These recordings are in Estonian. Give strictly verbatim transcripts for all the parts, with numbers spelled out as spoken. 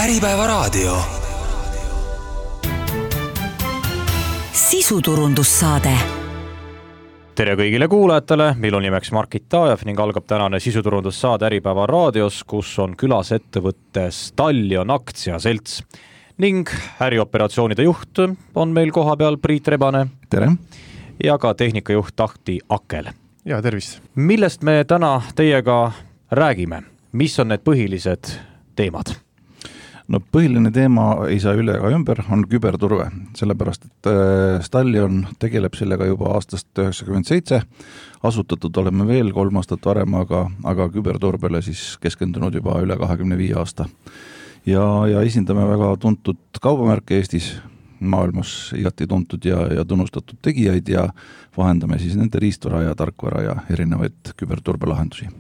Äripäevaraadio. Sisuturundussaade. Tere kõigile kuulajatele, meil on nimeks Markit Taajev ning algab tänane sisuturundussaade Äripäeva raadios, kus on külas ettevõtte Stallion aktsiaselts. Ning ärioperatsioonide juht on meil koha peal Priit Rebane. Tere. Ja ka tehnikajuht Tahti Akel. Ja tervist. Millest me täna teiega räägime? Mis on need põhilised teemad? No põhiline teema ei saa üle ega ümber, on küberturve, sellepärast, et Stallion tegeleb sellega juba aastast üheksakümmend seitse, asutatud oleme veel kolm aastat varem, aga, aga küberturbele siis keskendunud juba üle kahekümne viie aasta. Ja, ja esindame väga tuntud kaubamärke Eestis, maailmas igati tuntud ja, ja tunnustatud tegijaid ja vahendame siis nende riistvara ja tarkvara ja erinevaid küberturbelahendusi.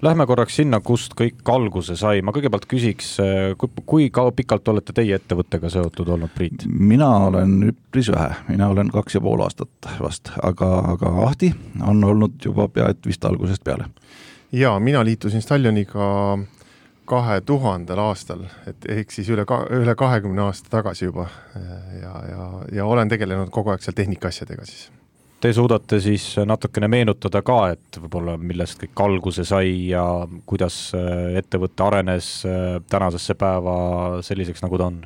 Lähme korraks sinna, kust kõik alguse sai. Ma kõigepealt küsiks, kui, kui kaua pikalt olete teie ettevõttega seotud olnud, Priit? Mina olen üpris vähe, mina olen kaks ja pool aastat vast, aga, aga Ahti on olnud juba pea et vist algusest peale. Ja, mina liitusin Stallioniga kahe tuhandel aastal, et ehk siis üle, üle kahekümne aasta tagasi juba ja, ja, ja olen tegelenud kogu aeg seal tehnikaasjadega siis. Te suudate siis natukene meenutada ka, et võib-olla millest kõik alguse sai ja kuidas ettevõtte arenes tänasesse päeva selliseks, nagu ta on?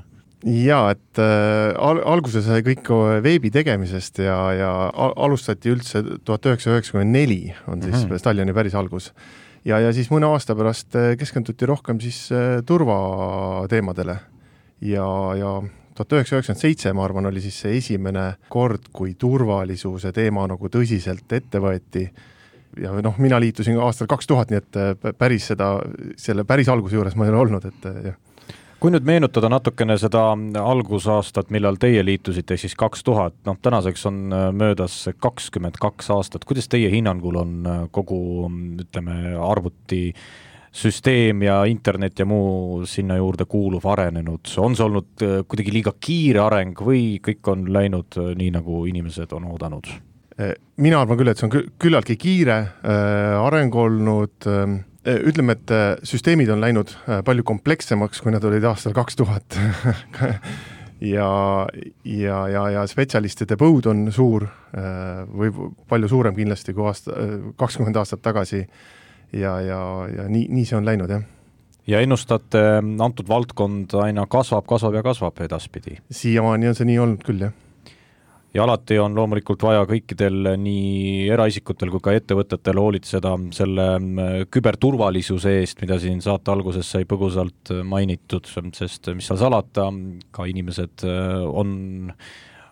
Ja, et al- alguse sai kõik veebi tegemisest ja, ja alustati üldse tuhat üheksasada üheksakümmend neli on siis mm-hmm. Stallioni päris algus. Ja, ja siis mõne aasta pärast keskenduti rohkem siis turvateemadele ja, ja tuhat üheksasada üheksakümmend seitse, ma arvan, oli siis see esimene kord, kui turvalisuse teema nagu tõsiselt ette võeti. Ja noh, mina liitusin aastal kaks tuhat, nii et päris seda, selle päris alguse juures ma ei ole olnud. Et, jah. Kui nüüd meenutada natukene seda algusaastat, millal teie liitusite, siis kaks tuhat, noh, tänaseks on möödas kakskümmend kaks aastat. Kuidas teie hinnangul on kogu, ütleme, arvuti süsteem ja internet ja muu sinna juurde kuuluv arenenud? On see olnud kuidagi liiga kiire areng või kõik on läinud nii, nagu inimesed on oodanud? Mina arvan küll, et see on küllaltki kiire areng olnud. Ütleme, et süsteemid on läinud palju komplekssemaks, kui nad olid aastal kaks tuhat. ja, ja, ja, ja spetsialistide põud on suur või palju suurem kindlasti kui aasta, kakskümmend aastat tagasi. Ja, ja, ja nii, nii see on läinud, jah. Ja ennustate, antud valdkond aina kasvab, kasvab ja kasvab edaspidi? Siiamaani on see nii olnud küll, jah. Ja alati on loomulikult vaja kõikidel nii eraisikutel kui ka ettevõtetel hoolitseda selle küberturvalisuse eest, mida siin saate alguses sai põgusalt mainitud, sest mis seal salata, ka inimesed on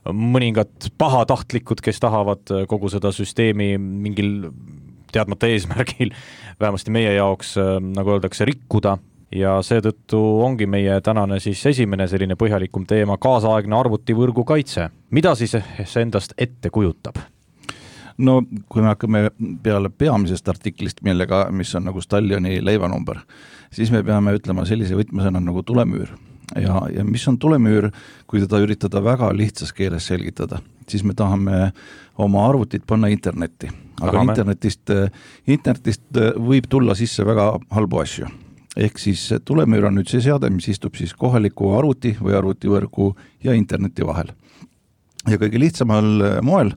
mõningad pahatahtlikud, kes tahavad kogu seda süsteemi mingil teadmata eesmärgil, vähemasti meie jaoks, nagu öeldakse, rikkuda ja seetõttu ongi meie tänane siis esimene selline põhjalikum teema, kaasaegne arvutivõrgu kaitse. Mida siis see endast ette kujutab? No kui me hakkame peale peamisest artiklist, millega, mis on nagu Stallioni leivanumber, siis me peame ütlema sellise võtmesõna nagu tulemüür. Ja, ja mis on tulemüür, kui teda üritada väga lihtsas keeles selgitada, siis me tahame oma arvutit panna internetti. Aga Tahame. internetist, internetist võib tulla sisse väga halbu asju. Ehk siis tulemüür on nüüd see seade, mis istub siis kohaliku arvuti või arvutivõrgu ja interneti vahel. Ja kõige lihtsamal moel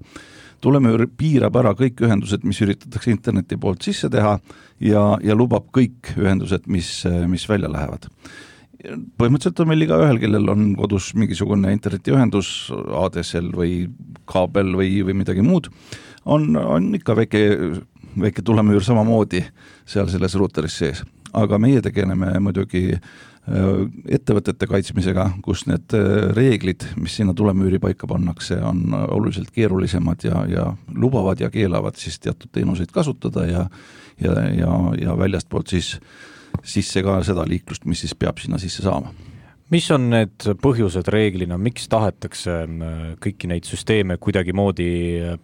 tulemüür piirab ära kõik ühendused, mis üritatakse interneti poolt sisse teha ja, ja lubab kõik ühendused, mis, mis välja lähevad. Põhimõtteliselt on meil iga ühel, kellel on kodus mingisugune internetiühendus, A D S L või kaabel või, või midagi muud, on, on ikka väike, väike tulemüür samamoodi seal selles routeris sees. Aga meie tegeleme muidugi ettevõtete kaitsmisega, kus need reeglid, mis sinna tulemüüri paika pannakse, on oluliselt keerulisemad ja, ja lubavad ja keelavad siis teatud teenuseid kasutada ja, ja, ja, ja väljast poolt siis sisse ka seda liiklust, mis siis peab sinna sisse saama. Mis on need põhjused reeglina, miks tahetakse kõiki neid süsteeme kuidagi moodi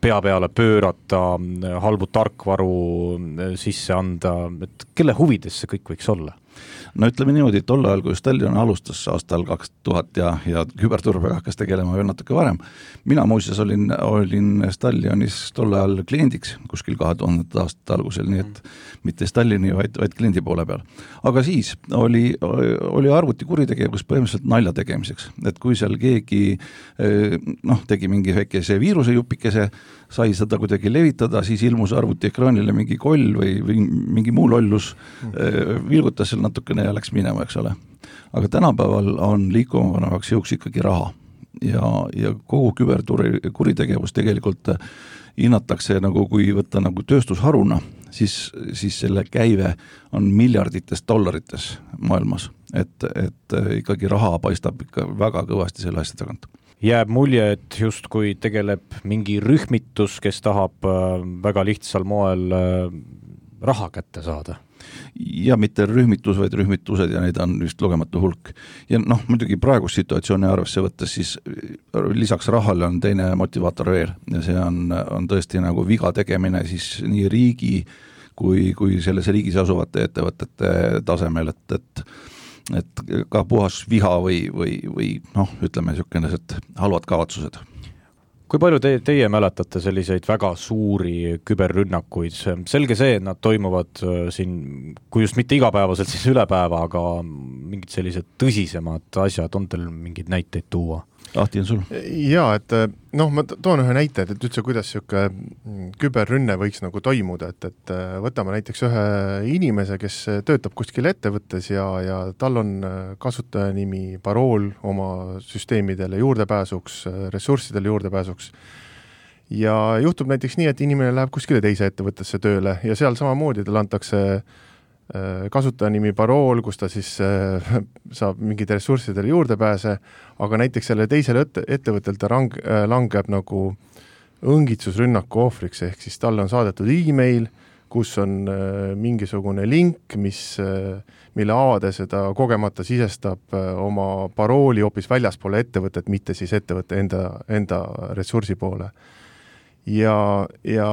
pea peale pöörata, halbu tarkvaru sisse anda, et kelle huvides see kõik võiks olla? no ütleme niimoodi, et tol ajal, kui Stallion alustas aastal kaks tuhat ja, ja küberturbega hakkas tegelema veel natuke varem, mina muuseas olin, olin Stallionis tol ajal kliendiks kuskil kahe tuhandete aastate algusel, nii et mitte Stallini, vaid, vaid kliendi poole peal. Aga siis oli, oli arvuti kuritegevus põhimõtteliselt nalja tegemiseks, et kui seal keegi noh, tegi mingi väikese viirusejupikese, sai seda kuidagi levitada, siis ilmus arvuti ekraanile mingi koll või, või mingi muu lollus, vilgutas seal natukene ja läks minema, eks ole. Aga tänapäeval on liikumavanevaks jõuks ikkagi raha ja, ja kogu küberkuritegevus tegelikult hinnatakse nagu, kui võtta nagu tööstusharuna, siis, siis selle käive on miljardites dollarites maailmas, et, et ikkagi raha paistab ikka väga kõvasti selle asja tagant. Jääb mulje, et just kui tegeleb mingi rühmitus, kes tahab väga lihtsal moel raha kätte saada. Ja mitte rühmitus, vaid rühmitused ja neid on just lugematu hulk. Ja noh, muidugi praegust situatsiooni arvesse võttes, siis lisaks rahale on teine motivaator veel ja see on, on tõesti nagu viga tegemine siis nii riigi kui, kui selles riigis asuvate ettevõtete tasemel, et, et et ka puhas viha või, või, või noh, ütleme niisugused halvad kavatsused. Kui palju te, teie mäletate selliseid väga suuri küberrünnakuid? Selge see, et nad toimuvad siin, kui just mitte igapäevaselt, siis üle päeva, aga mingid sellised tõsisemad asjad, on teil mingid näiteid tuua? Ahti on sul? Jaa, et noh, ma toon ühe näite, et üldse kuidas siuke küberrünne võiks nagu toimuda, et, et võtame näiteks ühe inimese, kes töötab kuskil ettevõttes ja, ja tal on kasutajanimi, parool oma süsteemidele juurdepääsuks, ressurssidele juurdepääsuks. Ja juhtub näiteks nii, et inimene läheb kuskile teise ettevõttesse tööle ja seal samamoodi tal antakse kasutajanimi parool, kus ta siis saab mingid ressurssidele juurde pääse, aga näiteks selle teisele ettevõttel ta rang, langeb nagu õngitsusrünnaku ohvriks, ehk siis talle on saadetud e-mail, kus on mingisugune link, mis, mille avades seda kogemata sisestab oma parooli hoopis väljaspoole ettevõtet, mitte siis ettevõtte enda, enda ressursi poole. Ja, ja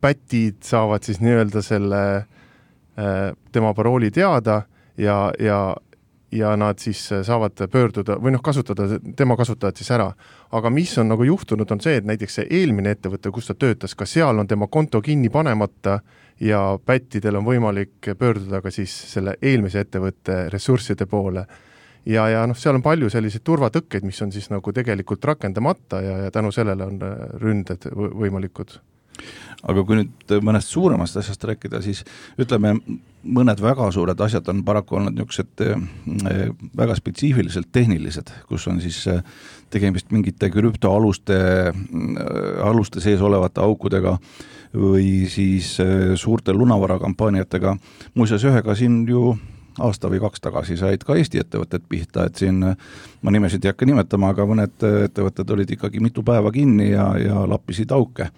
pätid saavad siis nii-öelda selle tema parooli teada ja, ja, ja nad siis saavad pöörduda või noh, kasutada tema kasutajad siis ära. Aga mis on nagu juhtunud, on see, et näiteks see eelmine ettevõte, kus ta töötas, ka seal on tema konto kinni panemata ja pättidel on võimalik pöörduda ka siis selle eelmise ettevõtte ressursside poole. Ja, ja noh, seal on palju selliseid turvatõkkeid, mis on siis nagu tegelikult rakendamata ja, ja tänu sellele on ründed võimalikud. Aga kui nüüd mõnest suuremast asjast rääkida, siis ütleme, mõned väga suured asjad on paraku olnud niisugused väga spetsiifiliselt tehnilised, kus on siis tegemist mingite krüptoaluste aluste sees olevate aukudega või siis suurte lunavarakkampaaniatega. Muuseas ühega siin ju aasta või kaks tagasi said ka Eesti ettevõtted pihta, et siin ma nimesid ei hakka nimetama, aga mõned ettevõtted olid ikkagi mitu päeva kinni ja, ja lappisid auke.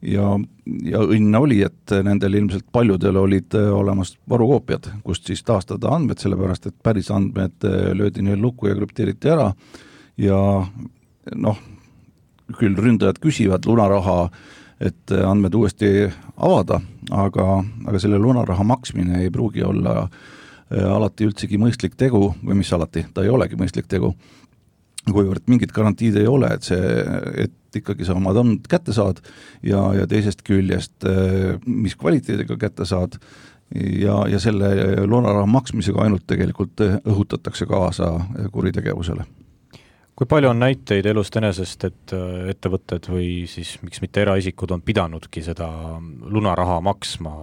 Ja, ja õnne oli, et nendel ilmselt paljudel olid olemas varukoopiad, kust siis taastada andmed, sellepärast et päris andmed löödi neil lukku ja krüpteeriti ära ja noh, küll ründajad küsivad lunaraha, et andmed uuesti avada, aga, aga selle lunaraha maksmine ei pruugi olla alati üldsegi mõistlik tegu või mis alati, ta ei olegi mõistlik tegu, kuivõrd mingit garantiid ei ole, et see, et ikkagi sa omad andmed kätte saad ja, ja teisest küljest, mis kvaliteediga kätte saad ja, ja selle lunaraha maksmisega ainult tegelikult õhutatakse kaasa kuritegevusele. Kui palju on näiteid elust enesest, et ettevõtted või siis miks mitte eraisikud on pidanudki seda lunaraha maksma?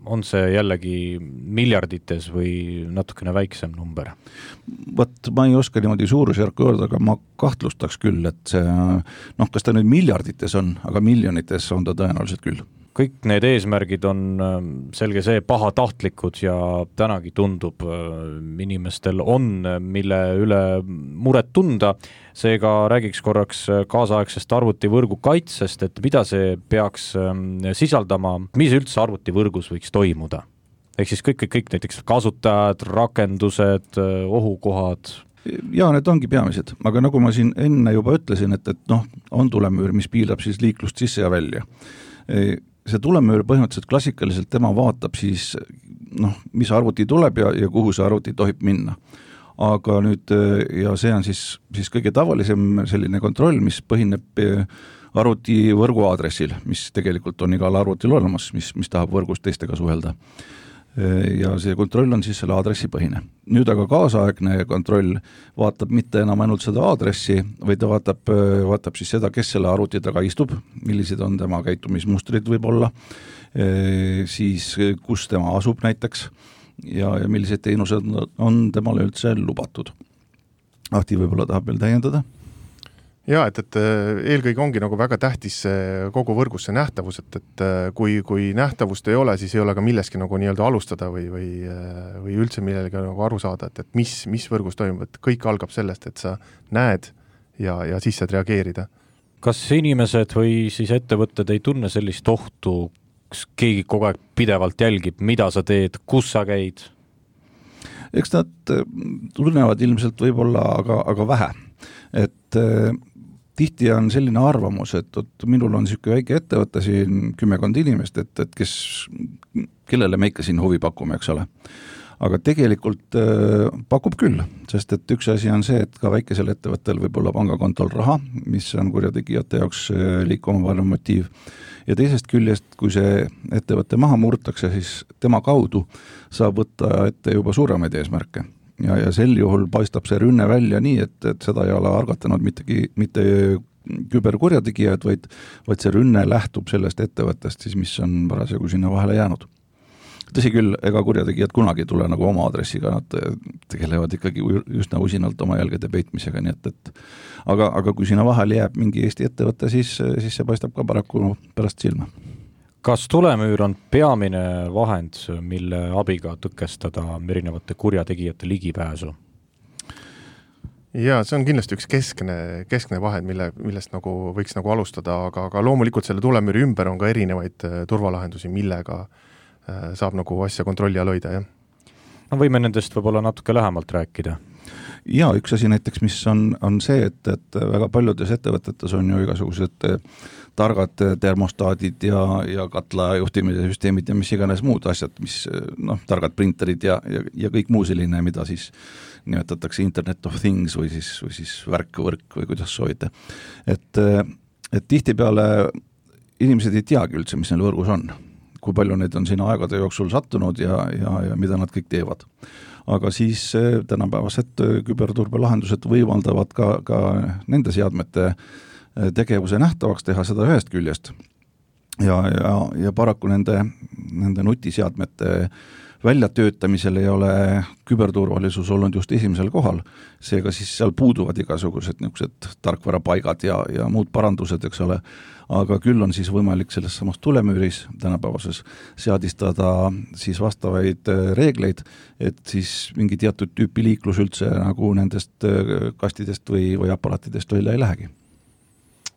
On see jällegi miljardites või natukene väiksem number? Võt, ma ei oska niimoodi suurusjärku öelda, aga ma kahtlustaks küll, et see, noh, kas ta nüüd miljardites on, aga miljonites on ta tõenäoliselt küll. Kõik need eesmärgid on selge see pahatahtlikud ja tänagi tundub inimestel on, mille üle muret tunda. Seega räägiks korraks kaasaegsest arvutivõrgu kaitsest, et mida see peaks sisaldama, mis üldse arvutivõrgus võiks toimuda. Ehk siis kõik, kõik, kõik näiteks kasutajad, rakendused, ohukohad. Ja need ongi peamised, aga nagu ma siin enne juba ütlesin, et, et noh, on tulemüür, mis piilab siis liiklust sisse ja välja. see tulemüür põhimõtteliselt klassikaliselt tema vaatab siis noh, mis arvuti tuleb ja, ja kuhu see arvuti tohib minna. Aga nüüd, ja see on siis, siis kõige tavalisem selline kontroll, mis põhineb arvuti võrgu aadressil, mis tegelikult on igal arvutil olemas, mis, mis tahab võrgus teistega suhelda. Ja see kontroll on siis selle aadressi põhine. Nüüd aga kaasaegne kontroll vaatab mitte enam ainult seda aadressi, vaid ta vaatab, vaatab siis seda, kes selle arvuti taga istub, millised on tema käitumismustrid võib olla, siis kus tema asub näiteks ja, ja millised teenused on temale üldse lubatud. Ahti võib-olla tahab veel täiendada? Jaa, et, et eelkõige ongi nagu väga tähtis kogu võrgus see nähtavus, et, et kui, kui nähtavust ei ole, siis ei ole ka milleski nagu nii-öelda alustada või, või, või üldse millelegi nagu aru saada, et, et mis, mis võrgus toimub, et kõik algab sellest, et sa näed ja, ja siis saad reageerida. Kas inimesed või siis ettevõtted ei tunne sellist ohtu, kus keegi kogu aeg pidevalt jälgib, mida sa teed, kus sa käid? Eks nad tunnevad ilmselt võib-olla aga, aga vähe, et tihti on selline arvamus, et, et minul on niisugune väike ettevõte siin kümmekond inimest, et, et kes, kellele me ikka siin huvi pakume, eks ole. Aga tegelikult äh, pakub küll, sest et üks asi on see, et ka väikesel ettevõttel võib olla pangakontol raha, mis on kurjategijate jaoks liikuma varem motiiv. Ja teisest küljest, kui see ettevõte maha murtakse, siis tema kaudu saab võtta ette juba suuremaid eesmärke. Ja, ja sel juhul paistab see rünne välja nii, et, et seda ei ole argatanud mittegi, mitte küberkurjategijad, vaid, vaid see rünne lähtub sellest ettevõttest, siis mis on parasjagu sinna vahele jäänud. Tõsi küll, ega kurjategijad kunagi tule nagu oma aadressiga, nad tegelevad ikkagi üsna usinalt oma jälgede peitmisega, nii et, et aga, aga kui sinna vahele jääb mingi Eesti ettevõte, siis, siis see paistab ka paraku pärast silma. Kas tulemüür on peamine vahend, mille abiga tõkestada erinevate kurjategijate ligipääsu? Jaa, see on kindlasti üks keskne, keskne vahend, mille, millest nagu võiks nagu alustada, aga, aga loomulikult selle tulemüüri ümber on ka erinevaid turvalahendusi, millega saab nagu asja kontrolli all hoida, jah. No võime nendest võib-olla natuke lähemalt rääkida. Jaa, üks asi näiteks, mis on, on see, et, et väga paljudes ettevõtetes on ju igasugused targad termostaadid ja, ja katla juhtimise süsteemid ja mis iganes muud asjad, mis noh, targad printerid ja, ja, ja kõik muu selline, mida siis nimetatakse Internet of Things või siis, või siis värkvõrk või kuidas soovite. Et, et tihtipeale inimesed ei teagi üldse, mis neil võrgus on, kui palju neid on sinna aegade jooksul sattunud ja, ja, ja mida nad kõik teevad. Aga siis tänapäevased küberturbelahendused võimaldavad ka, ka nende seadmete tegevuse nähtavaks teha seda ühest küljest. Ja, ja, ja paraku nende, nende nutiseadmete väljatöötamisel ei ole küberturvalisus olnud just esimesel kohal, seega siis seal puuduvad igasugused niisugused tarkvarapaigad ja, ja muud parandused, eks ole, aga küll on siis võimalik selles samas tulemüüris tänapäevases seadistada siis vastavaid reegleid, et siis mingi teatud tüüpi liiklus üldse nagu nendest kastidest või, või aparaatidest välja ei lähegi.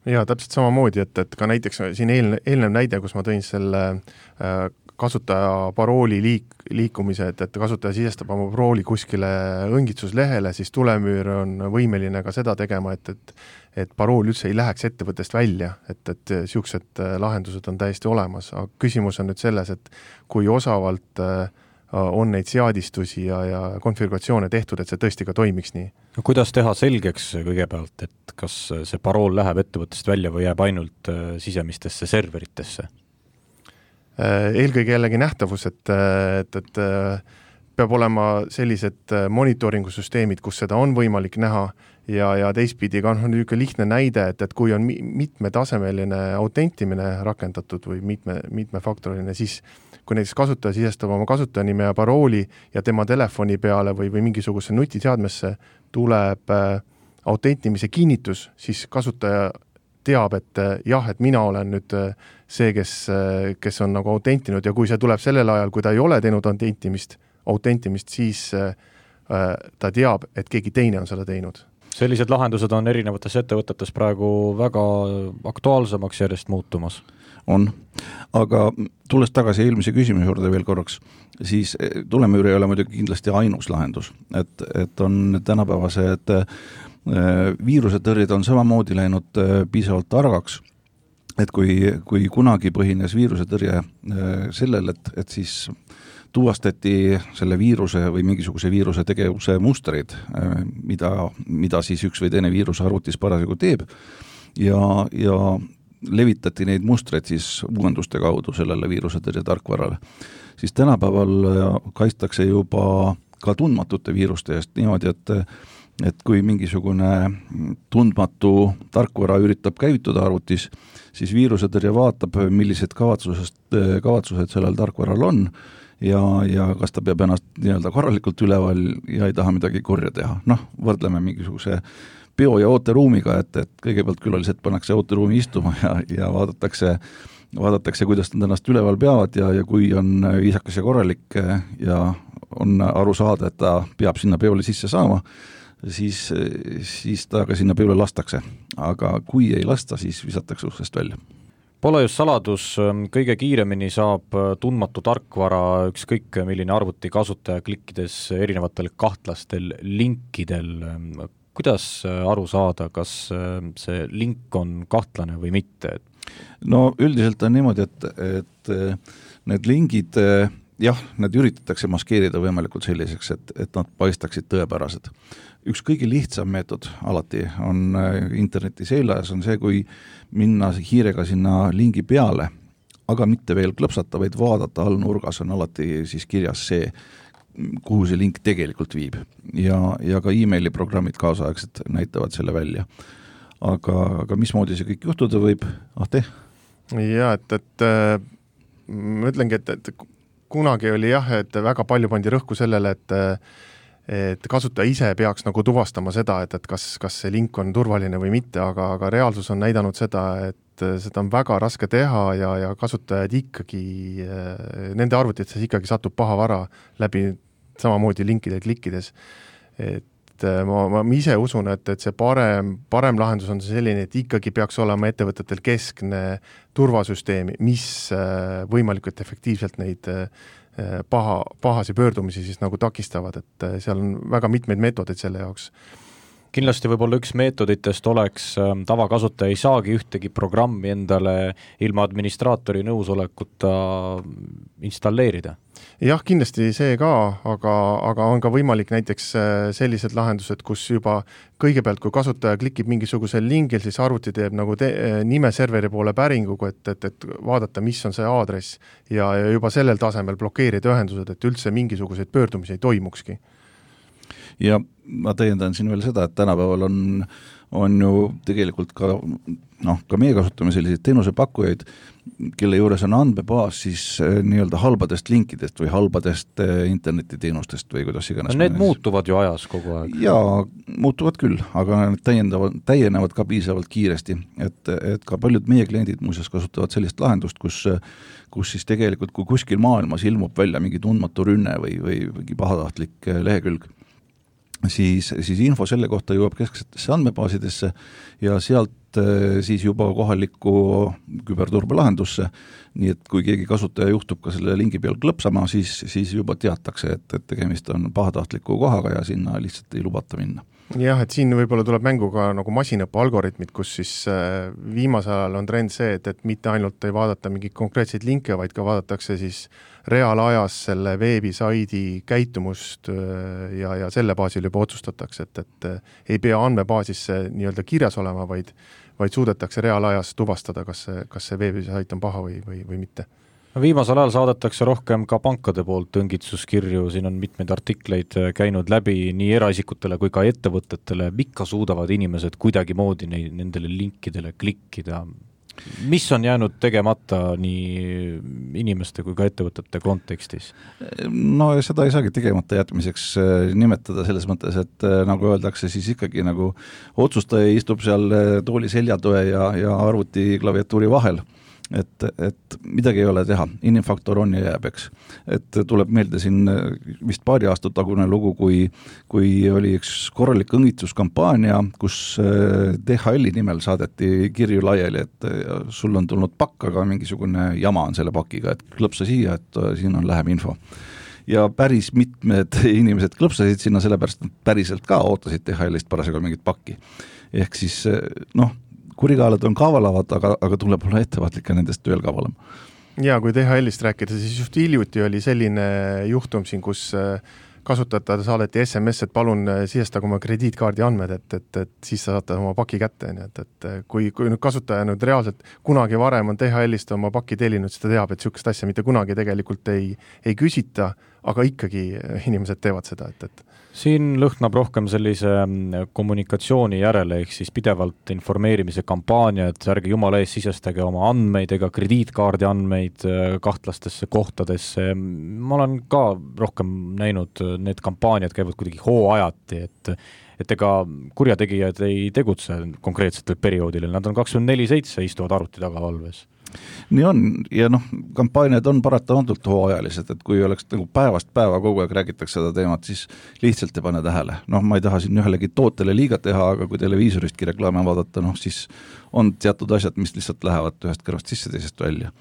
Jaa, täpselt samamoodi, et, et ka näiteks siin eelne, eelnev näide, kus ma tõin selle äh, kasutaja parooli liik, liikumise, et, et kasutaja sisestab oma parooli kuskile õngitsuslehele, siis tulemüür on võimeline ka seda tegema, et, et, et parool üldse ei läheks ettevõttest välja, et, et siuksed lahendused on täiesti olemas. Aga küsimus on nüüd selles, et kui osavalt on neid seadistusi ja, ja konfiguratsioone tehtud, et see tõesti ka toimiks nii. No, kuidas teha selgeks kõigepealt, et kas see parool läheb ettevõttest välja või jääb ainult sisemistesse serveritesse? Eelkõige jällegi nähtavus, et, et, et peab olema sellised monitooringusüsteemid, kus seda on võimalik näha ja, ja teistpidi ka on niisugune lihtne näide, et, et kui on mitmetasemeline autentimine rakendatud või mitme, mitmefaktoriline, siis kui näiteks kasutaja sisestab oma kasutajanime ja parooli ja tema telefoni peale või, või mingisuguse nutiseadmesse tuleb autentimise kinnitus, siis kasutaja teab, et jah, et mina olen nüüd see, kes, kes on nagu autentinud ja kui see tuleb sellel ajal, kui ta ei ole teinud autentimist, autentimist siis äh, ta teab, et keegi teine on seda teinud. Sellised lahendused on erinevates ettevõtetes praegu väga aktuaalsemaks järjest muutumas. On, aga tulles tagasi eelmise küsimuse juurde veel korraks, siis tulemüür ei ole muidugi kindlasti ainus lahendus, et, et on tänapäevased viirusetõrjed on samamoodi läinud piisavalt targaks, et kui, kui kunagi põhines viirusetõrje sellel, et, et siis tuvastati selle viiruse või mingisuguse viiruse tegevuse mustreid, mida, mida siis üks või teine viirus arvutis parasjagu teeb ja, ja levitati neid mustreid siis uuenduste kaudu sellele viirusetõrje tarkvarale, siis tänapäeval kaitstakse juba ka tundmatute viiruste eest niimoodi, et et kui mingisugune tundmatu tarkvara üritab käivituda arvutis, siis viirusetõrje vaatab, millised kavatsused, kavatsused sellel tarkvaral on ja, ja kas ta peab ennast nii-öelda korralikult üleval ja ei taha midagi korja teha. Noh, võrdleme mingisuguse peo- ja ooteruumiga, et, et kõigepealt külalised pannakse ooteruumi istuma ja, ja vaadatakse, vaadatakse, kuidas nad ennast üleval peavad ja, ja kui on viisakas ja korralik ja on aru saada, et ta peab sinna peole sisse saama, siis, siis ta ka sinna peole lastakse. Aga kui ei lasta, siis visatakse uksest välja. Pole just saladus, kõige kiiremini saab tundmatu tarkvara ükskõik milline arvuti kasutaja klikkides erinevatel kahtlastel linkidel. Kuidas aru saada, kas see link on kahtlane või mitte? No üldiselt on niimoodi, et, et need lingid, jah, need üritatakse maskeerida võimalikult selliseks, et, et nad paistaksid tõepärased. Üks kõige lihtsam meetod alati on interneti seljas on see, kui minna hiirega sinna lingi peale, aga mitte veel klõpsata, vaid vaadata all nurgas on alati siis kirjas see, kuhu see link tegelikult viib. Ja, ja ka e-maili programmid kaasaegsed näitavad selle välja. Aga, aga mismoodi see kõik juhtuda võib? Ahte? Ja, et, et ma ütlengi, et, et kunagi oli jah, et väga palju pandi rõhku sellele, et et kasutaja ise peaks nagu tuvastama seda, et, et kas, kas see link on turvaline või mitte, aga, aga reaalsus on näidanud seda, et seda on väga raske teha ja, ja kasutajad ikkagi, nende arvutites ikkagi satub paha vara läbi samamoodi linkidel klikkides. Et ma, ma ise usun, et, et see parem, parem lahendus on selline, et ikkagi peaks olema ettevõtetel keskne turvasüsteemi, mis võimalikult efektiivselt neid paha, pahasi pöördumisi siis nagu takistavad, et seal on väga mitmeid meetodeid selle jaoks. Kindlasti võib-olla üks meetoditest oleks tavakasutaja ei saagi ühtegi programmi endale ilma administraatori nõusolekuta installeerida. Jah, kindlasti see ka, aga, aga on ka võimalik näiteks sellised lahendused, kus juba kõigepealt, kui kasutaja klikib mingisugusel lingil, siis arvuti teeb nagu te, nime serveri poole päringuga, et, et, et vaadata, mis on see aadress ja, ja juba sellel tasemel blokeerida ühendused, et üldse mingisuguseid pöördumisi ei toimukski. Ja ma täiendan siin veel seda, et tänapäeval on, on ju tegelikult ka, noh, ka meie kasutame selliseid teenusepakkujaid, kelle juures on andmebaas siis nii-öelda halbadest linkidest või halbadest internetiteenustest või kuidas iganes. No need mõnes. Muutuvad ju ajas kogu aeg. Jaa, muutuvad küll, aga need täiendavad, täienevad ka piisavalt kiiresti, et, et ka paljud meie kliendid muuseas kasutavad sellist lahendust, kus, kus siis tegelikult, kui kuskil maailmas ilmub välja mingi tundmatu rünne või, või mingi pahatahtlik lehekülg, siis, siis info selle kohta jõuab kesksetesse andmebaasidesse ja sealt siis juba kohalikku küberturbelahendusse, nii et kui keegi kasutaja juhtub ka selle lingi peal klõpsama, siis, siis juba teatakse, et, et tegemist on pahatahtliku kohaga ja sinna lihtsalt ei lubata minna. Jah, et siin võib-olla tuleb mängu ka nagu masinõppe algoritmid, kus siis viimasel ajal on trend see, et, et mitte ainult ei vaadata mingeid konkreetseid linke, vaid ka vaadatakse siis reaalajas selle veebisaidi käitumust ja, ja selle baasil juba otsustatakse, et, et ei pea andmebaasisse nii-öelda kirjas olema, vaid, vaid suudetakse reaalajas tuvastada, kas see, kas see veebisait on paha või, või, või mitte. Viimasel ajal saadetakse rohkem ka pankade poolt õngitsuskirju, siin on mitmeid artikleid käinud läbi nii eraisikutele kui ka ettevõtetele, ikka suudavad inimesed kuidagi moodi neid, nendele linkidele klikkida. Mis on jäänud tegemata nii inimeste kui ka ettevõtete kontekstis? No seda ei saagi tegemata jätmiseks nimetada selles mõttes, et nagu öeldakse, siis ikkagi nagu otsustaja istub seal tooli seljatoe ja, ja arvuti klaviatuuri vahel. Et, et midagi ei ole teha, inimfaktor on ja jääb, eks. Et tuleb meelde siin vist paari aastat tagune lugu, kui, kui oli üks korralik õngitsuskampaania, kus D H L-i nimel saadeti kirju laiali, et sul on tulnud pakk, aga mingisugune jama on selle pakiga, et klõpsa siia, et siin on läheb info. Ja päris mitmed inimesed klõpsasid sinna, sellepärast päriselt ka ootasid D H L-ist parasjagu mingit pakki. Ehk siis, noh, kurikaelad on kavalavad, aga, aga tuleb olla ettevaatlik ja nendest veel kavalam. Ja kui D H L-ist rääkida, siis just hiljuti oli selline juhtum siin, kus kasutajad saadeti S M S, et palun sisestage oma krediitkaardi andmed, et, et, et siis sa saate oma paki kätte. Et, et kui, kui nüüd kasutaja nüüd reaalselt kunagi varem on D H L-ist oma paki tellinud, siis ta teab, et niisugust asja mitte kunagi tegelikult ei, ei küsita, aga ikkagi inimesed teevad seda, et, et siin lõhnab rohkem sellise kommunikatsiooni järele, ehk siis pidevalt informeerimise kampaania, et ärge jumala ees sisestage oma andmeid ega krediitkaardi andmeid kahtlastesse kohtadesse. Ma olen ka rohkem näinud, need kampaaniad käivad kuidagi hooajati, et, et ega kurjategijad ei tegutse konkreetsetel perioodil, nad on kakskümmend neli seitse istuvad arvuti taga valves. Nii on, ja noh, kampaaniad on paratamatult hooajalised, et kui oleks nagu päevast päeva kogu aeg räägitakse seda teemat, siis lihtsalt ei pane tähele. Noh, ma ei taha siin ühelegi tootele liiga teha, aga kui televiisoristki reklaame vaadata, noh, siis on teatud asjad, mis lihtsalt lähevad ühest kõrvast sisse, teisest välja.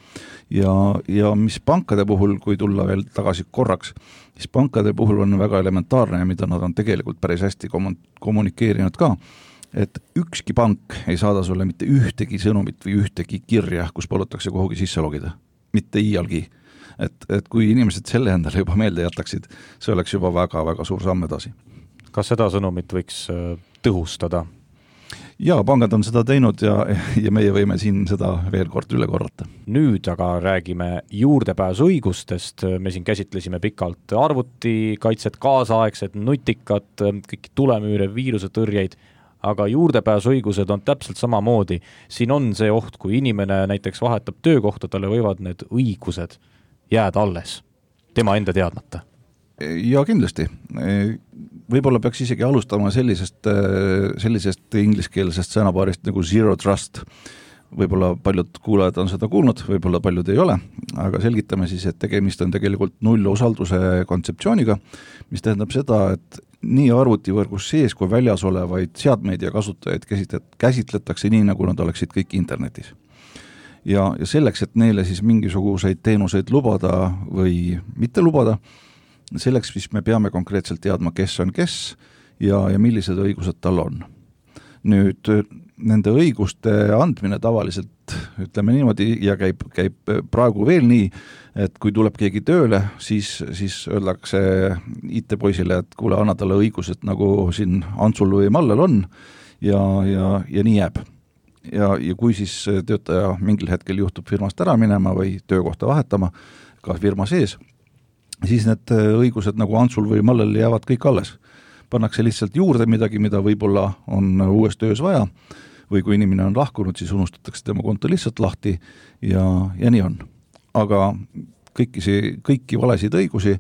Ja, ja mis pankade puhul, kui tulla veel tagasi korraks, siis pankade puhul on väga elementaarne, mida nad on tegelikult päris hästi kommunikeerinud ka, et ükski pank ei saada sulle mitte ühtegi sõnumit või ühtegi kirja, kus palutakse kuhugi sisse logida. Mitte iialgi. Et, et kui inimesed selle endale juba meelde jätaksid, see oleks juba väga-väga suur samm edasi. Kas seda sõnumit võiks tõhustada? Jaa, pangad on seda teinud ja, ja meie võime siin seda veel kord üle korrata. Nüüd aga räägime juurdepääsuõigustest. Me siin käsitlesime pikalt arvutikaitset, kaasaegset, nutikat, kõik tulemüüre, viirusetõrjeid, aga juurdepääsuõigused on täpselt samamoodi. Siin on see oht, kui inimene näiteks vahetab töökohta, talle võivad need õigused jääda alles, tema enda teadmata. Ja kindlasti. Võib-olla peaks isegi alustama sellisest, sellisest ingliskeelsest sõnapaarist nagu zero trust. Võib-olla paljud kuulajad on seda kuulnud, võib-olla paljud ei ole, aga selgitame siis, et tegemist on tegelikult nullosalduse kontseptsiooniga, mis tähendab seda, et nii arvutivõrgus sees kui väljas olevaid seadmeid ja kasutajaid käsitletakse nii, nagu nad oleksid kõik internetis. Ja, ja selleks, et neile siis mingisuguseid teenuseid lubada või mitte lubada, selleks siis me peame konkreetselt teadma, kes on kes ja, ja millised õigused tal on. Nüüd nende õiguste andmine tavaliselt, ütleme niimoodi, ja käib, käib praegu veel nii, et kui tuleb keegi tööle, siis, siis öeldakse I T-poisile, et kuule, anna talle õigused, nagu siin Antsul või Mallel on, ja, ja, ja nii jääb. Ja, ja kui siis töötaja mingil hetkel juhtub firmast ära minema või töökohta vahetama, ka firma sees, siis need õigused nagu Antsul või Mallel jäävad kõik alles. Pannakse lihtsalt juurde midagi, mida võib-olla on uues töös vaja, või kui inimene on lahkunud, siis unustatakse tema konto lihtsalt lahti ja, ja nii on. Aga kõiki, kõiki valesid õigusi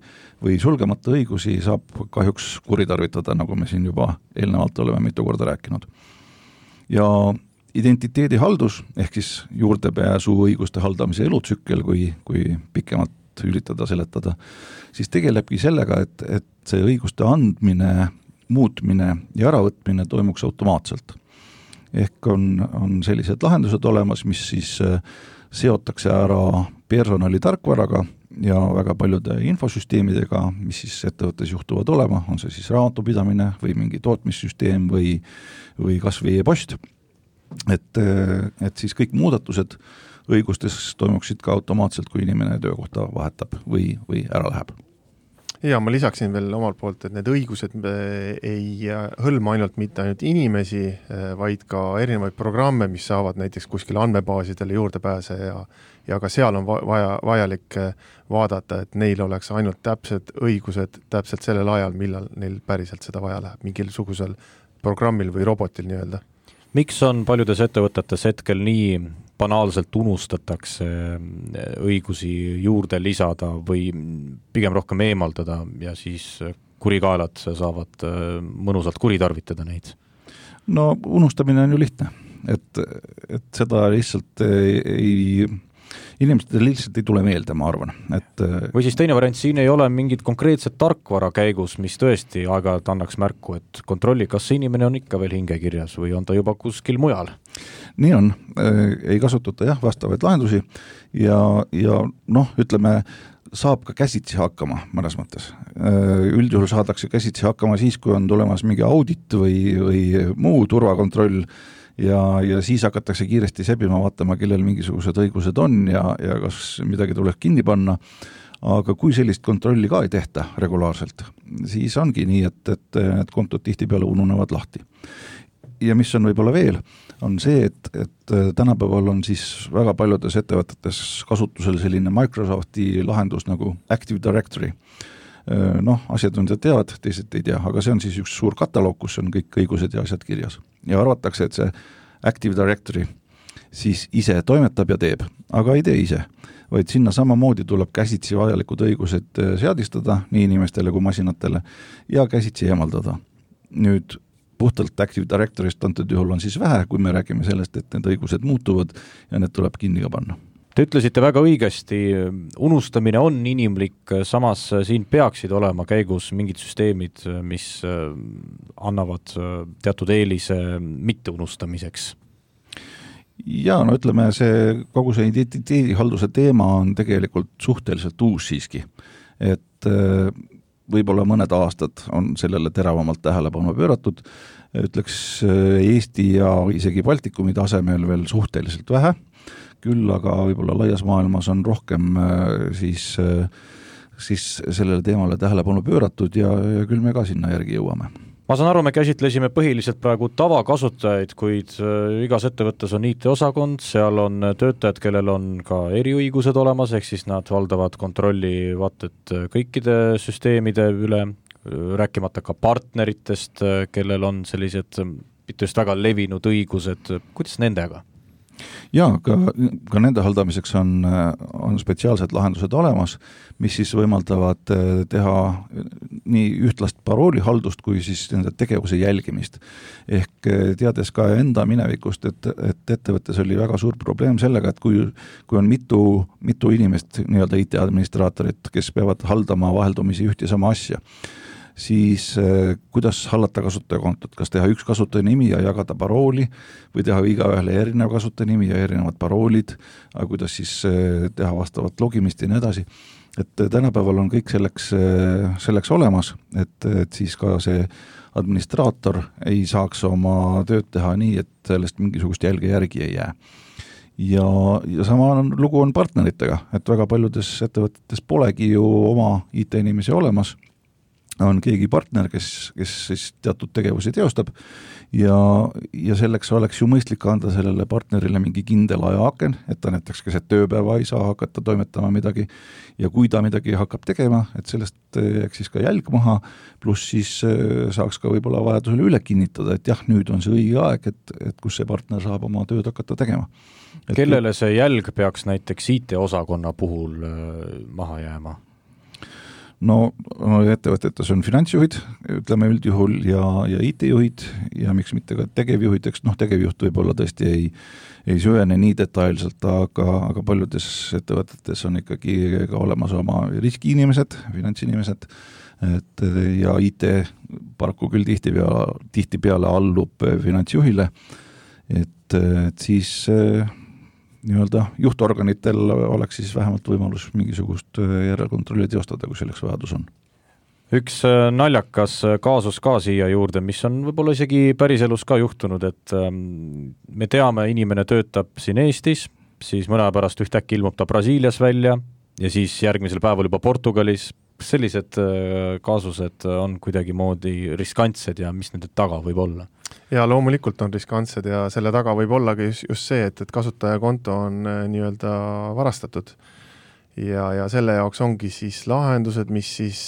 või sulgemata õigusi saab kahjuks kuritarvitada, nagu me siin juba eelnevalt oleme mitu korda rääkinud. Ja identiteedihaldus, ehk siis juurdepääsu õiguste haldamise elutsükkel, kui, kui pikemalt üritada seletada, siis tegelebki sellega, et, et see õiguste andmine, muutmine ja äravõtmine toimuks automaatselt. Ehk on, on sellised lahendused olemas, mis siis seotakse ära personali tarkvaraga ja väga paljude infosüsteemidega, mis siis ettevõttes juhtuvad olema, on see siis raamatupidamine või mingi tootmissüsteem või, või kas või e-post. Et, et siis kõik muudatused õigustes toimuksid ka automaatselt, kui inimene töökohta vahetab või, või ära läheb. Ja ma lisaksin veel omalt poolt, et need õigused ei hõlma ainult mitte ainult inimesi, vaid ka erinevaid programme, mis saavad näiteks kuskil andmebaasidele juurde pääse ja, ja ka seal on vaja, vajalik vaadata, et neil oleks ainult täpsed õigused täpselt sellel ajal, millal neil päriselt seda vaja läheb, mingil sugusel programmil või robotil nii-öelda. Miks on paljudes ettevõtetes hetkel nii banaalselt unustatakse õigusi juurde lisada või pigem rohkem eemaldada ja siis kurikaelad saavad mõnusalt kuritarvitada neid? No unustamine on ju lihtne, et, et seda lihtsalt ei, ei inimestel lihtsalt ei tule meelde, ma arvan. Et või siis teine variant, siin ei ole mingit konkreetset tarkvara käigus, mis tõesti aeg-ajalt annaks märku, et kontrolli, kas see inimene on ikka veel hingekirjas või on ta juba kuskil mujal? Nii on, ei kasututa jah vastavaid lahendusi ja, ja noh, ütleme, saab ka käsitsi hakkama mõnes mõttes. Üldjuhul saadakse käsitsi hakkama siis, kui on tulemas mingi audit või, või muu turvakontroll ja, ja siis hakatakse kiiresti sebima, vaatama, kellel mingisugused õigused on ja, ja kas midagi tuleks kinni panna, aga kui sellist kontrolli ka ei tehta regulaarselt, siis ongi nii, et, et need kontod tihtipeale ununevad lahti. Ja mis on võib-olla veel, on see, et, et tänapäeval on siis väga paljudes ettevõtetes kasutusel selline Microsofti lahendus nagu Active Directory. Noh, asjatundjad teavad, teised ei tea, aga see on siis üks suur kataloog, kus on kõik õigused ja asjad kirjas. Ja arvatakse, et see Active Directory siis ise toimetab ja teeb, aga ei tee ise, vaid sinna samamoodi tuleb käsitsi vajalikud õigused seadistada nii inimestele kui masinatele ja käsitsi eemaldada. Nüüd puhtalt Active Directory'st antud juhul on siis vähe, kui me räägime sellest, et need õigused muutuvad ja need tuleb kinni ka panna. Te ütlesite väga õigesti, unustamine on inimlik, samas siin peaksid olema käigus mingid süsteemid, mis annavad teatud eelise mitte unustamiseks. Ja no ütleme, see kogu see identiteedihalduse teema on tegelikult suhteliselt uus siiski, et võib-olla mõned aastad on sellele teravamalt tähelepanu pööratud, ütleks Eesti ja isegi Baltikumi tasemel veel suhteliselt vähe, küll aga võib-olla laias maailmas on rohkem siis, siis sellele teemale tähelepanu pööratud ja, ja küll me ka sinna järgi jõuame. Ma saan aru, me käsitlesime põhiliselt praegu tavakasutajaid, kuid igas ettevõttes on I T-osakond, seal on töötajad, kellel on ka eriõigused olemas, ehk siis nad valdavad kontrolli vaated kõikide süsteemide üle, rääkimata ka partneritest, kellel on sellised mitte just väga levinud õigused, kuidas nendega? Jaa, ka, ka nende haldamiseks on, on spetsiaalsed lahendused olemas, mis siis võimaldavad teha nii ühtlast paroolihaldust kui siis nende tegevuse jälgimist. Ehk teades ka enda minevikust, et, et ettevõttes oli väga suur probleem sellega, et kui, kui on mitu, mitu inimest, nii-öelda I T-administraatorit, kes peavad haldama vaheldumisi üht ja sama asja, siis eh, kuidas hallata kasutajakontot, kas teha üks kasutajanimi ja jagada parooli või teha igaühele erinev kasutajanimi ja erinevad paroolid, aga kuidas siis eh, teha vastavat logimist ja nii edasi. Et tänapäeval on kõik selleks, eh, selleks olemas, et, et siis ka see administraator ei saaks oma tööd teha nii, et sellest mingisugust jälge järgi ei jää. Ja, ja sama on, lugu on partneritega, et väga paljudes ettevõtetes polegi ju oma I T-inimesi olemas, on keegi partner, kes, kes siis teatud tegevusi teostab ja, ja selleks oleks ju mõistlik anda sellele partnerile mingi kindel ajaaken, et ta näiteks keset tööpäeva ei saa hakata toimetama midagi ja kui ta midagi hakkab tegema, et sellest jääks siis ka jälg maha, pluss siis saaks ka võib-olla vajadusele üle kinnitada, et jah, nüüd on see õige aeg, et, et kus see partner saab oma tööd hakata tegema. Et kellele see jälg peaks näiteks I T-osakonna puhul maha jääma? No ettevõtetes on finantsjuhid, ütleme üldjuhul, ja, ja I T-juhid ja miks mitte ka tegevjuhid, eks noh, tegevjuht võib-olla tõesti ei, ei süvene nii detailselt, aga, aga paljudes ettevõtetes on ikkagi ka olemas oma riskiinimesed, finantsinimesed, et ja I T paraku küll tihtipeale, tihtipeale allub finantsjuhile, et, et siis nii-öelda juhtorganitel oleks siis vähemalt võimalus mingisugust järelkontrolli teostada, kui selleks vajadus on. Üks naljakas kaasus ka siia juurde, mis on võib-olla isegi päriselus ka juhtunud, et me teame, inimene töötab siin Eestis, siis mõne pärast ühtäkki ilmub ta Brasiilias välja ja siis järgmisel päeval juba Portugalis. Sellised kaasused on kuidagi moodi riskantsed ja mis nende taga võib olla? Ja loomulikult on riskantsed ja selle taga võib ollagi just see, et, et kasutajakonto on nii-öelda varastatud. Ja, ja selle jaoks ongi siis lahendused, mis siis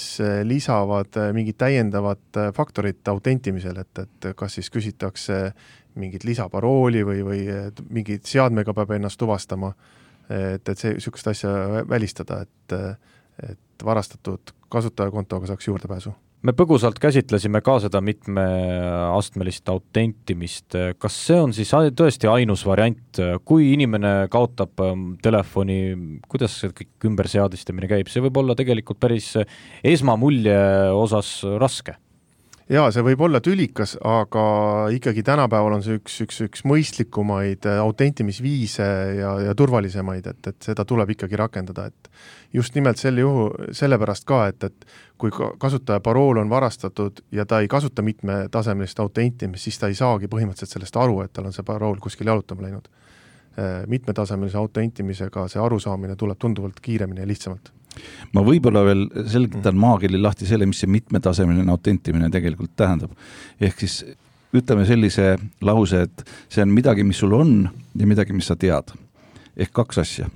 lisavad mingit täiendavat faktorit autentimisel, et, et kas siis küsitakse mingit lisaparooli või, või mingit seadmega peab ennast tuvastama, et, et see sükest asja välistada, et, et varastatud kasutajakontoga saaks juurdepääsu. Me põgusalt käsitlesime ka seda mitmeastmelist autentimist. Kas see on siis tõesti ainus variant, kui inimene kaotab telefoni, kuidas see kõik ümberseadistamine käib? See võib olla tegelikult päris esmamulje osas raske. jaa, see võib olla tülikas, aga ikkagi tänapäeval on see üks, üks, üks mõistlikumaid autentimisviise ja, ja turvalisemaid, et, et seda tuleb ikkagi rakendada, et just nimelt selle juhu, sellepärast ka, et, et kui kasutaja parool on varastatud ja ta ei kasuta mitmetasemelist autentimist, siis ta ei saagi põhimõtteliselt sellest aru, et tal on see parool kuskil jalutama läinud. Mitmetasemelise autentimisega see arusaamine tuleb tunduvalt kiiremini ja lihtsamalt. Ma võib-olla veel selgitan maagili lahti selle, mis see mitmetasemeline autentimine tegelikult tähendab. Ehk siis ütleme sellise lause, et see on midagi, mis sul on ja midagi, mis sa tead. Ehk kaks asja.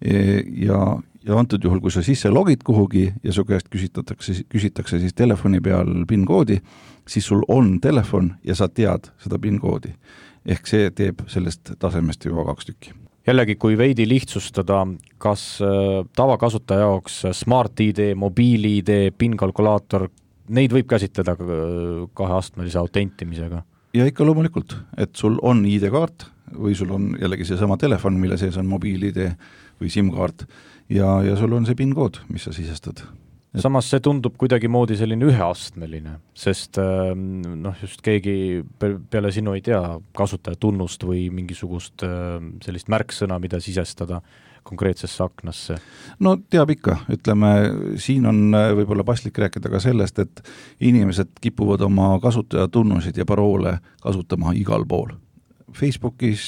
Ja, ja antud juhul, kui sa sisse logid kuhugi ja su käest küsitakse, küsitakse siis telefoni peal PIN-koodi, siis sul on telefon ja sa tead seda PIN-koodi. Ehk see teeb sellest tasemest juba kaks tükki. Jällegi, kui veidi lihtsustada, kas tavakasutaja jaoks Smart I D, mobiil I D, PIN-kalkulaator, neid võib käsitleda kaheastmelise autentimisega? Ja ikka loomulikult, et sul on I D-kaart või sul on jällegi see sama telefon, mille sees on mobiil I D või SIM-kaart ja, ja sul on see PIN-kood, mis sa sisestad. Et... Samas see tundub kuidagi moodi selline üheastmeline, sest noh, just keegi peale sinu ei tea kasutaja tunnust või mingisugust sellist märksõna, mida sisestada konkreetsesse aknasse. No teab ikka, ütleme, siin on võib-olla paslik rääkida ka sellest, et inimesed kipuvad oma kasutaja tunnusid ja paroole kasutama igal pool. Facebookis,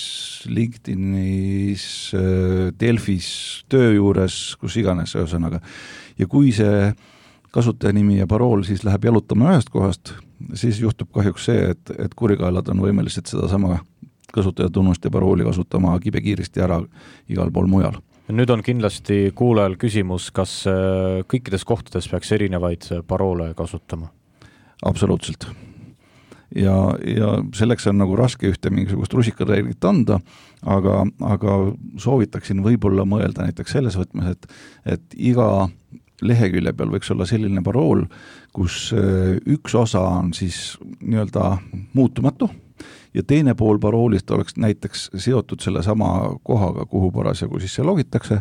LinkedInis, Delfis, töö juures, kus iganes ühesõnaga. Ja kui see kasutajanimi ja parool siis läheb jalutama ühest kohast, siis juhtub kahjuks see, et, et kurikaelad on võimelised seda sama kasutajatunnust ja parooli kasutama kibekiiristi ära igal pool mujal. Nüüd on kindlasti kuulajal küsimus, kas kõikides kohtades peaks erinevaid paroole kasutama? Absoluutselt. Ja, ja selleks on nagu raske ühte mingisugust rusikareeglit anda, aga, aga soovitaksin võib-olla mõelda näiteks selles võtmes, et, et iga lehekülje peal võiks olla selline parool, kus üks osa on siis nii-öelda muutumatu ja teine pool paroolist oleks näiteks seotud selle sama kohaga, kuhu parasjagu siis see logitakse.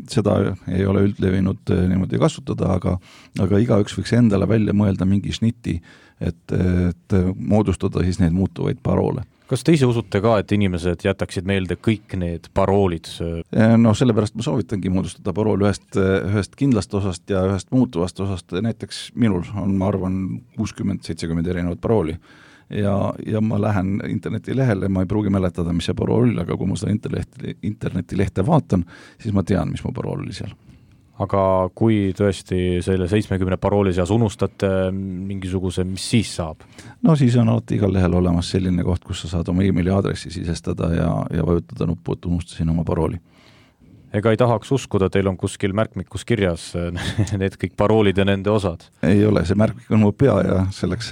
Seda ei ole üldlevinud niimoodi kasutada, aga, aga igaüks võiks endale välja mõelda mingi sniti, et, et moodustada siis neid muutuvaid paroole. Kas te ise usute ka, et inimesed jätaksid meelde kõik need paroolid? No sellepärast ma soovitangi moodustada parool ühest, ühest kindlast osast ja ühest muutuvast osast. Näiteks minul on, ma arvan, kuuskümmend seitsekümmend erinevat parooli. Ja, ja ma lähen internetilehele, ma ei pruugi mäletada, mis see parool oli, aga kui ma seda interneti, internetilehte vaatan, siis ma tean, mis mu parool oli seal. Aga kui tõesti selle seitsmekümne parooli seas unustate mingisuguse, mis siis saab? No siis on alati igal lehel olemas selline koht, kus sa saad oma e-maili aadressi sisestada ja, ja vajutada nuppu, et unustasin oma parooli. Ega ei tahaks uskuda, teil on kuskil märkmikus kirjas need kõik paroolid ja nende osad? Ei ole, see märkmik on mu pea ja selleks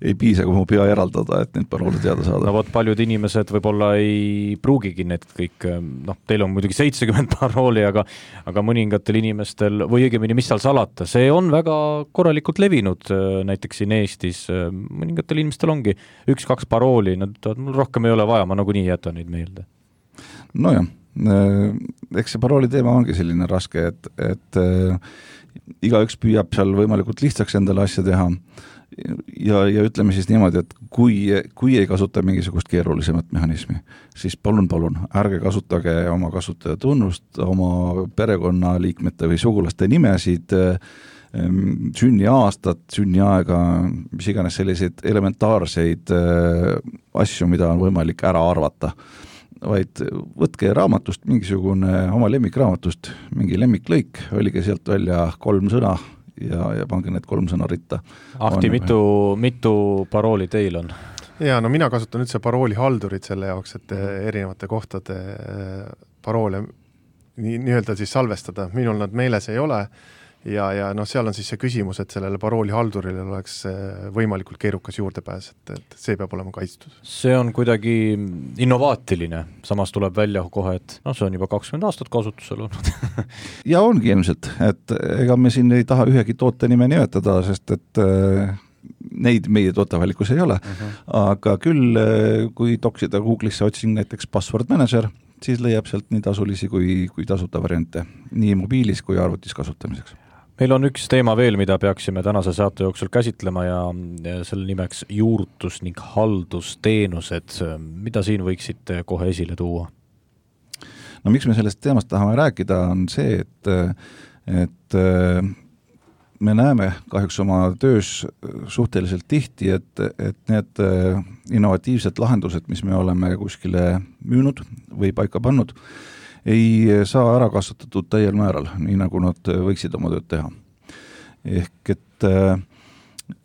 ei piisa, kui mu pea eraldada, et need paroolid teada saada. No vot, paljud inimesed võib-olla ei pruugigi need kõik, noh, teil on muidugi seitsekümmend parooli, aga, aga mõningatel inimestel, või õigemini, mis seal salata, see on väga korralikult levinud, näiteks siin Eestis, mõningatel inimestel ongi üks-kaks parooli, nad ütlevad, mul rohkem ei ole vaja, ma nagunii jätan neid meelde. No jah, eks see parooli teema ongi selline raske, et, et äh, igaüks püüab seal võimalikult lihtsaks endale asja teha ja, ja ütleme siis niimoodi, et kui, kui ei kasuta mingisugust keerulisemat mehhanismi, siis palun, palun, ärge kasutage oma kasutaja tunnust, oma perekonnaliikmete või sugulaste nimesid, sünniaastat, sünniaega, mis iganes selliseid elementaarseid asju, mida on võimalik ära arvata, vaid võtke raamatust mingisugune oma lemmikraamatust, mingi lemmiklõik, olige sealt välja kolm sõna ja, ja pange need kolm sõna ritta. Ahti, on... mitu, mitu parooli teil on? Ja, no mina kasutan üldse parooli haldurit selle jaoks, et erinevate kohtade paroole nii, nii-öelda siis salvestada. Minul nad meeles ei ole ja, ja noh, seal on siis see küsimus, et sellele parooli haldurile oleks võimalikult keerukas juurdepääs, et, et see peab olema kaitstud. See on kuidagi innovaatiline, samas tuleb välja kohe, et no see on juba kakskümmend aastat kasutusel olnud. Ja ongi ilmselt, et ega me siin ei taha ühegi toote nime nimetada, sest et neid meie tootevalikus ei ole, uh-huh. aga küll kui toksida Google'isse otsin näiteks password manager, siis leiab sealt nii tasulisi kui, kui tasuta variante, nii mobiilis kui arvutis kasutamiseks. Meil on üks teema veel, mida peaksime tänase saate jooksul käsitlema ja selle nimeks juurtus ning haldusteenused. Mida siin võiksite kohe esile tuua? No miks me sellest teemast tahame rääkida, on see, et, et me näeme kahjuks oma töös suhteliselt tihti, et, et need innovatiivsed lahendused, mis me oleme kuskile müünud või paika pannud, ei saa ära kasutatud täiel määral, nii nagu nad võiksid oma tööd teha. Ehk et,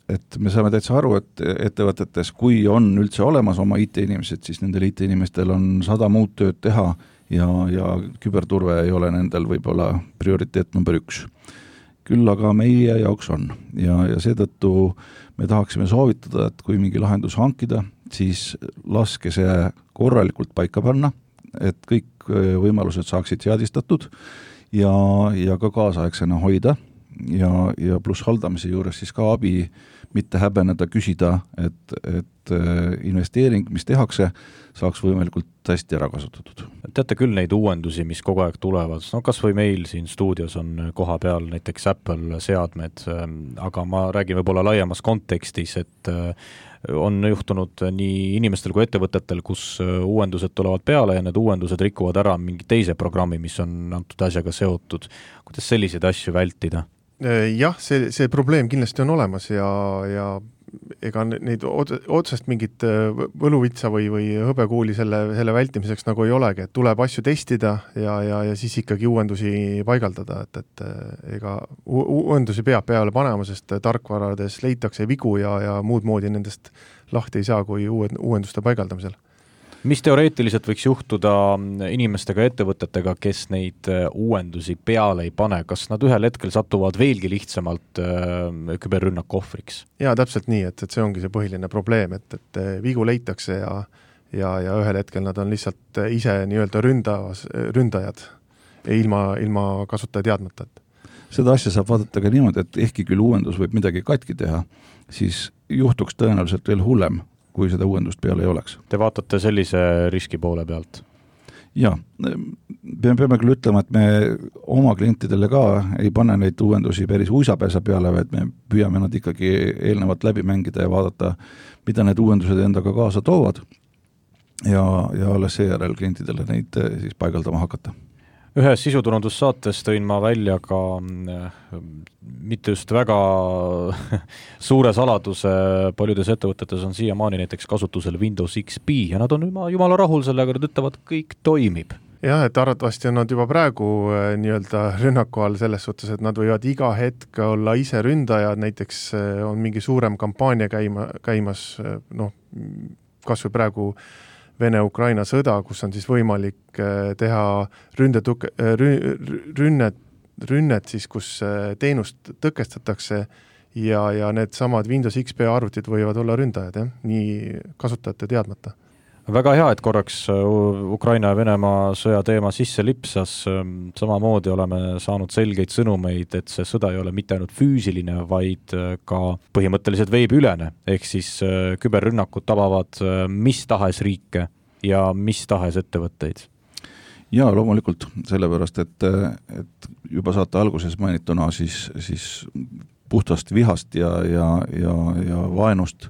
et me saame täitsa aru, et ettevõtetes, kui on üldse olemas oma I T-inimesed, siis nendel I T-inimestel on sada muud tööd teha ja, ja küberturve ei ole nendel võib-olla prioriteet number üks. Küll aga meie jaoks on ja, ja seetõttu me tahaksime soovitada, et kui mingi lahendus hankida, siis laske see korralikult paika panna, et kõik võimalused saaksid seadistatud ja, ja ka kaasaegsena hoida ja, ja pluss haldamise juures siis ka abi mitte häbeneda küsida, et, et investeering, mis tehakse, saaks võimalikult hästi ära kasutatud. Teate küll neid uuendusi, mis kogu aeg tulevad, no kas või meil siin stuudios on koha peal näiteks Apple seadmed, aga ma räägin võib-olla laiemas kontekstis, et on juhtunud nii inimestel kui ettevõtetel, kus uuendused tulevad peale ja need uuendused rikuvad ära mingi teise programmi, mis on antud asjaga seotud. Kuidas selliseid asju vältida? Jah, see, see probleem kindlasti on olemas ja, ja ega neid otsest mingit võluvitsa või, või hõbekuuli selle, selle vältimiseks nagu ei olegi, et tuleb asju testida ja, ja, ja siis ikkagi uuendusi paigaldada, et, et ega uuendusi peab peale panema, sest tarkvarades leitakse vigu ja, ja muud moodi nendest lahti ei saa kui uuenduste paigaldamisel. Mis teoreetiliselt võiks juhtuda inimestega ja ettevõtetega, kes neid uuendusi peale ei pane? Kas nad ühel hetkel satuvad veelgi lihtsamalt küberrünnaku ohvriks? Jaa, täpselt nii, et, et see ongi see põhiline probleem, et, et vigu leitakse ja, ja, ja ühel hetkel nad on lihtsalt ise nii-öelda ründavas, ründajad ilma, ilma kasutaja teadmata. Seda asja saab vaadata ka niimoodi, et ehkki küll uuendus võib midagi katki teha, siis juhtuks tõenäoliselt veel hullem, kui seda uuendust peale ei oleks. Te vaatate sellise riski poole pealt? Jaa, me peame küll ütlema, et me oma klientidele ka ei pane neid uuendusi päris uisapääsa peale, vaid me püüame nad ikkagi eelnevalt läbi mängida ja vaadata, mida need uuendused endaga kaasa toovad ja, ja alles seejärel klientidele neid siis paigaldama hakata. Ühes sisuturundussaates tõin ma välja ka mitte just väga suure saladuse, paljudes ettevõtetes on siiamaani näiteks kasutusel Windows X P ja nad on jumala rahul sellega, nad ütlevad, kõik toimib. Jah, et arvatavasti on nad juba praegu nii-öelda rünnaku all selles suhtes, et nad võivad iga hetk olla ise ründajad, näiteks on mingi suurem kampaania käima, käimas, noh, kas või praegu Vene-Ukraina sõda, kus on siis võimalik teha ründetuke, rünnet, rünnet siis, kus teenust tõkestatakse ja, ja need samad Windows X P arvutid võivad olla ründajad, jah? Nii kasutajate teadmata. Väga hea, et korraks Ukraina ja Venemaa sõja teema sisse lipsas. Samamoodi oleme saanud selgeid sõnumeid, et see sõda ei ole mitte ainult füüsiline, vaid ka põhimõtteliselt veebiülene. Ehk siis küberrünnakud tabavad mis tahes riike ja mis tahes ettevõtteid. Jaa, loomulikult, sellepärast, et, et juba saate alguses mainituna siis, siis puhtast vihast ja, ja, ja, ja vaenust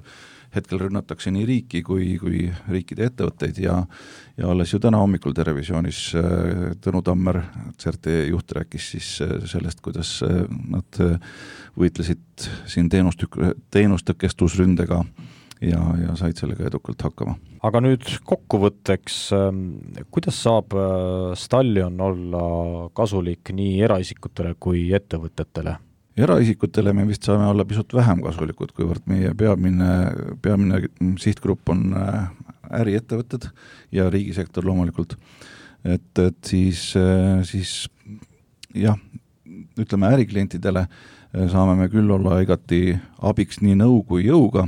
hetkel rünnatakse nii riiki kui, kui riikide ettevõtteid ja, ja alles ju täna hommikul televisioonis Tõnu Tammer, C R T juht, rääkis siis sellest, kuidas nad võitlesid siin teenust, teenustõkestusründega ja, ja said sellega edukalt hakkama. Aga nüüd kokkuvõtteks, kuidas saab Stallion olla kasulik nii eraisikutele kui ettevõtetele? Eraisikutele me vist saame olla pisut vähem kasulikud, kuivõrd meie peamine, peamine sihtgrupp on äriettevõtted ja riigisektor loomulikult. Et, et siis, siis jah, ütleme äriklientidele saame me küll olla igati abiks nii nõu kui jõuga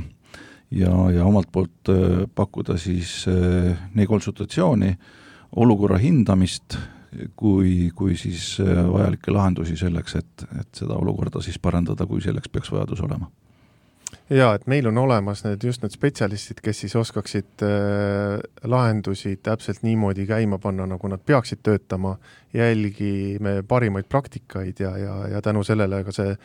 ja, ja omalt poolt pakkuda siis nii konsultatsiooni, olukorra hindamist, kui, kui siis vajalikke lahendusi selleks, et, et seda olukorda siis parandada, kui selleks peaks vajadus olema. jaa, et meil on olemas need just need spetsialistid, kes siis oskaksid äh, lahendusi täpselt niimoodi käima panna, nagu nad peaksid töötama, jälgime parimaid praktikaid ja, ja, ja tänu sellele ka see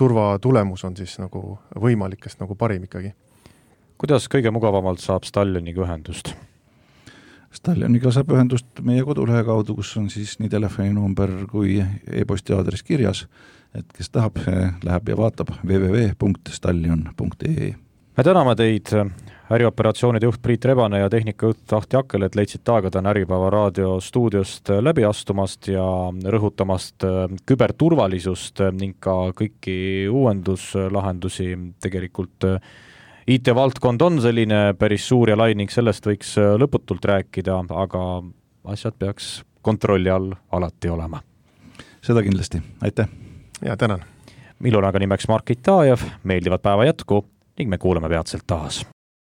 turvatulemus on siis nagu võimalikest nagu parim ikkagi. Kuidas kõige mugavamalt saab Stalioniga ühendust? Stalioniga saab ühendust meie kodulehe kaudu, kus on siis nii telefoninumber kui e-posti aadress kirjas, et kes tahab, läheb ja vaatab w w w punkt stallion punkt e e. Me täname teid, ärioperatsioonide juht Priit Rebane ja tehnikajuht Ahti Akkel, et leidsid aega täna Äripäeva raadio stuudiost läbi astumast ja rõhutamast küberturvalisust ning ka kõiki uuenduslahendusi. Tegelikult I T-valdkond on selline päris suur ja lai ning sellest võiks lõputult rääkida, aga asjad peaks kontrolli all alati olema. Seda kindlasti. Aitäh! Ja tänan! Millul aga nimeks Mark Itajev, meeldivat päeva jätku ning me kuuleme peatselt taas.